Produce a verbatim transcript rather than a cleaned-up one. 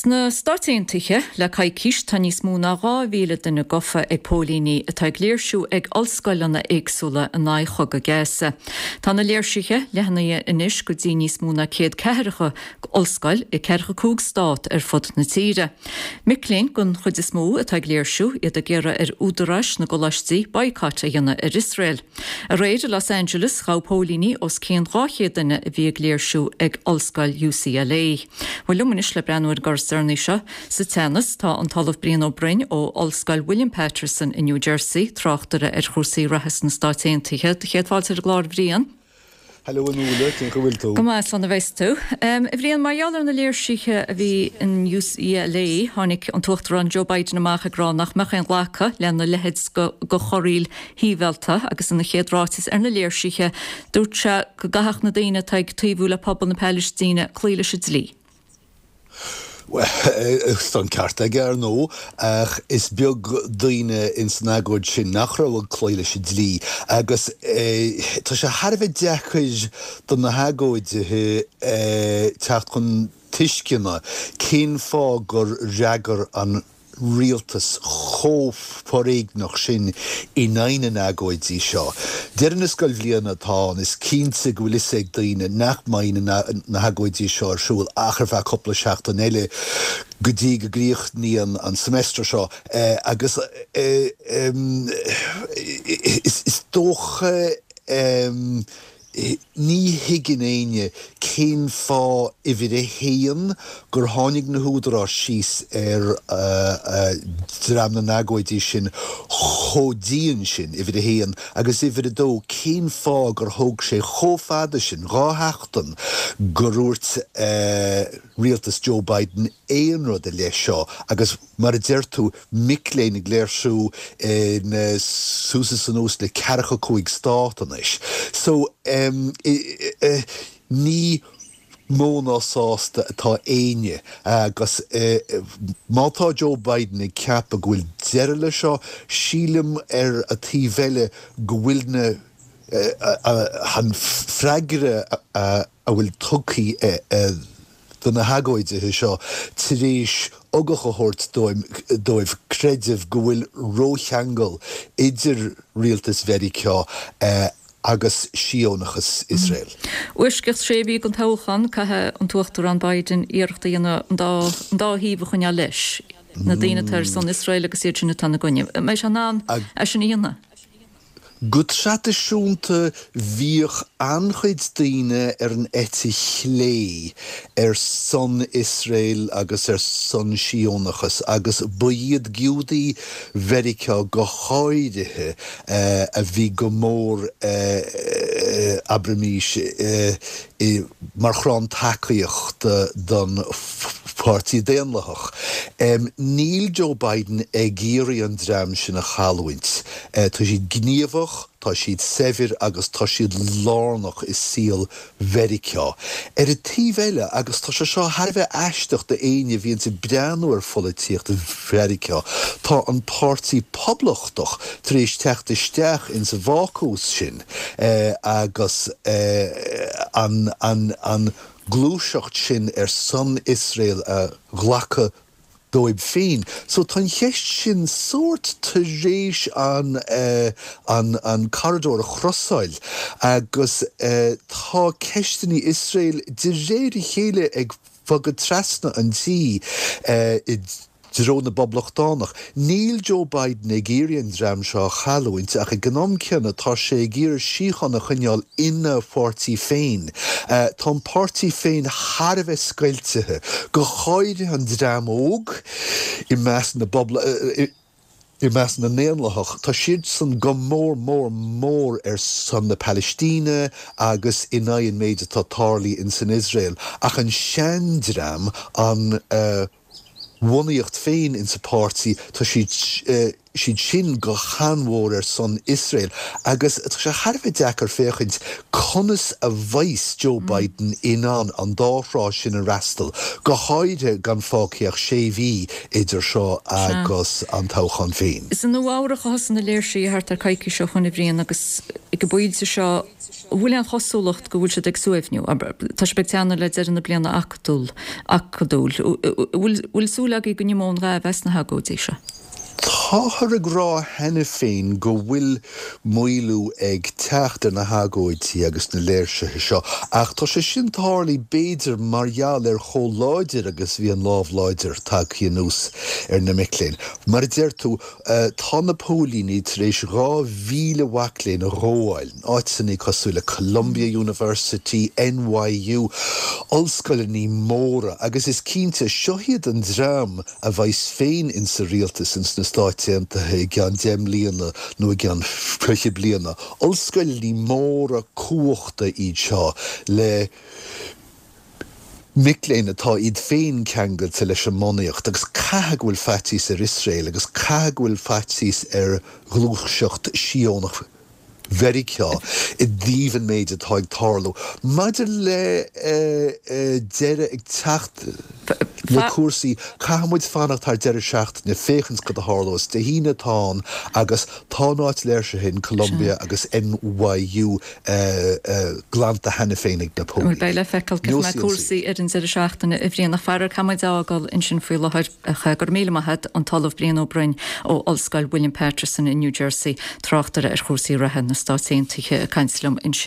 Sna Stáit Aontaithe le coicís tá níos mó ná dhá mhíle duine gafa ag póilíní atá ag léirsiú ag ollscoileanna éagsúla in aghaidh chogadh Gaza. Tá na léirsithe leathnaithe anois go dtí níos mó ná céad ceathracha ollscoil i ceathracha cúig stát ar fud na tíre. Mic léinn den chuid is mó atá ag léirsiú iad ag iarraidh ar údaráis na gcoláistí boycott a dhéanamh ar Iosrael. Aréir i Los Angeles ghabh póilíní os cionn dhá chéad duine a bhí ag léirsiú ag ollscoil UCLA. Bhuel liom anois le breathnú ar an gcor seo sa teannas tá an tOllamh Brian Ó Broin ó Ollscoil William Paterson in New Jersey tráchtaire ar chúrsaí reatha sna Stáit Aontaithe do chéad fáilte ar an gclár Bhrian. Hello Nuala cén bhfuil tú. Go maith slán a bheas tú. Um, Bhrian mar gheall ar na léirsithe a bhí in UCLA tháinig an tUachtarán Joe Biden amach ag rá nach mbeadh aon ghlacadh lena leithéid go, go chorraíl shibhialta agus ina chéad ráiteas ar na léirsithe dúirt sé go gcaithfeadh na daoine atá ag taobhú le pobal na Palaistíne cloí leis an dlí. Tá an ceart aige ar ndóigh ach is beag daoine in san agóid sin nach raibh ag cloí leis an dlí agus tá sé thar a bheith deacair do na hagóidithe teacht chun tuisceana cén fáth gur fhreagair an rialtas chomh foréigneach sin in aghaidh na n-agóidí seo. Deireadh na scoilbhliana atá ann is cinnte go bhfuil fhios ag daoine nach mbeidh na, na hagóidí seo ar siúl ach ar feadh cúpla seachtain eile go dtí go gcríochnaíonn an semester seo eh, agus eh, um, is, is dócha um, ní thuigeann éinne cén fáth uimhir a haon gur tháinig na húdaráis síos ar dream na n-agóidí sin chomh dian sin uimhir a haon agus uimhir a dó cén fáth gur thóg sé chomh fada sin dhá sheachtain gur dhúirt rialtas Joe Biden aon rud i leith seo agus mar a deir tú mic léinn ag léirsiú in suas is anuas le ceathracha cúig stát anois. So um, ní mó ná sásta atá éinne agus má tá Joe Biden ag ceapadh go bhfuil deireadh le seo sílim ar an taobh eile go bhfuil na an freagra a bhfuil tugtha do na hagóidithe seo tar éis ugach a thabhairt dóibh creideamh go bhfuil rócheangal idir rialtas Mheiriceá agus Síónachas Iosrael. Uaisceacht sé mhí don toghchán caithfidh an tUachtarán Biden iarracht a dhéanamh an dá thaobh a choinneáil leis. Na daoine atá ar son Iosrael agus iad sin atá ina gcoinne. Mbeidh sé in ann é sin a dhéanamh. Go traidisiúnta bhíodh an-chuid daoine ar an eite chlé ar son Iosrael agus ar son Síónachas agus ba iad Giúdaigh Mheiriceá go háirithe a bhí go mór abraimis mar chrann tacaíochta don Pháirtí Daonlathach. Níl Joe Biden ag iarraidh an dream sin a chailliúint. Tá siad gníomhach, tá siad saibhir agus tá siad lárnach i saol Mheiriceá. Ar an taobh eile agus tá sé seo thar a bheith aisteach d'éinne a bhíonn ag breathnú ar pholaitíocht Mheiriceá, tá an Páirtí Poblachtach tar éis teacht isteach in sa bhácús sin agus an an an gluaiseacht sin ar son Iosrael a ghlacadh dóibh féin. So tá an cheist sin sórt tar éis an an an corridor a chrosáil agus tá ceisteanna Iosrael de réir a chéile ag bogadh trasna an tí i dtreo na bPoblachtánach. Níl Joe Biden ag iarraidh an dream seo a chailliúint ach ag an am céanna tá sé ag iarraidh síocháin a choinneáil ina pháirtí féin. Tá an páirtí féin thar a bheith scoiltithe, go háirithe an dream óg i measc na i measc na nDaonlathach, tá siadsan go mór mór mór ar son na Palaistíne agus in aghaidh an méid atá tarlaithe in san Iosrael, ach an seandream an bhunaíocht féin in sa páirtí tá siad siad sin go han-mhór ar son Iosrael agus tá sé thar a bheith deacair féachaint conas a bheas Joe Biden in ann an dá thrá sin a fhreastal, go háirithe gan fágtha ach sé mhí idir seo agus an toghchán féin. Is i Nua-Eabhrac a thosaigh na léirsithe thart ar coicís ó shin a Bhriain agus ag an bpointe seo an bhfuil aon chosúlacht go bhfuil siad ag suaimhniú. Tá sé ag teannadh le deireadh na bliana acadúil. Acadúil. Bhfuil súil agaibh go n-imeoidh an ghaimh as na hagóidí seo? Táthar ag rá cheana féin go bhfuil maolú ag teacht ar na hagóidí agus na léirsithe seo, ach tá sé sin tarlaithe b'fhéidir mar gheall ar chomh láidir agus bhí an lámh láidir tagtha anuas ar na mic léinn. Mar a deir tú, tá na póilíní tar éis dhá mhíle mhac léinn a ghabháil, in áiteanna cosúil le Columbia University, NYU, ollscoileanna móra, agus is cinnte, seo iad an dream a bheas féin insa rialtas ins na Stáit Aontaithe i gceann deich mbliana nó i gceann fiche bliana. Ollscoileanna móra cumhachta iad seo le mic léinn atá iad féin ceangailte leis an mbunaíocht agus caithfidh go bhfuil faitíos ar Iosrael agus caithfidh go bhfuil faitíos ar ghluaiseacht Síónach Mheiriceá i dtaobh an méid atá ag tarlú. Maidir le deireadh ag teacht le cúrsaí, caithfidh muid fanacht thar deireadh seachtaine féachaint cad a tharlós. Dé hAoine atá ann agus tá an áit léirsithe in Columbia agus NYU glanta cheana féin ag na póilíní. Beidh le feiceáil cén chaoi a mbeidh cúrsaí ar an deireadh seachtaine a Bhriain ach faraor caithfidh muid a fhágáil ansin faoi láthair. Go raibh míle maith agat, an tOllamh Brian Ó Broin ó Ollscoil William Paterson i New Jersey, tráchtaire ar chúrsaí reatha na Stát Aontaithe ag caint liom ansin.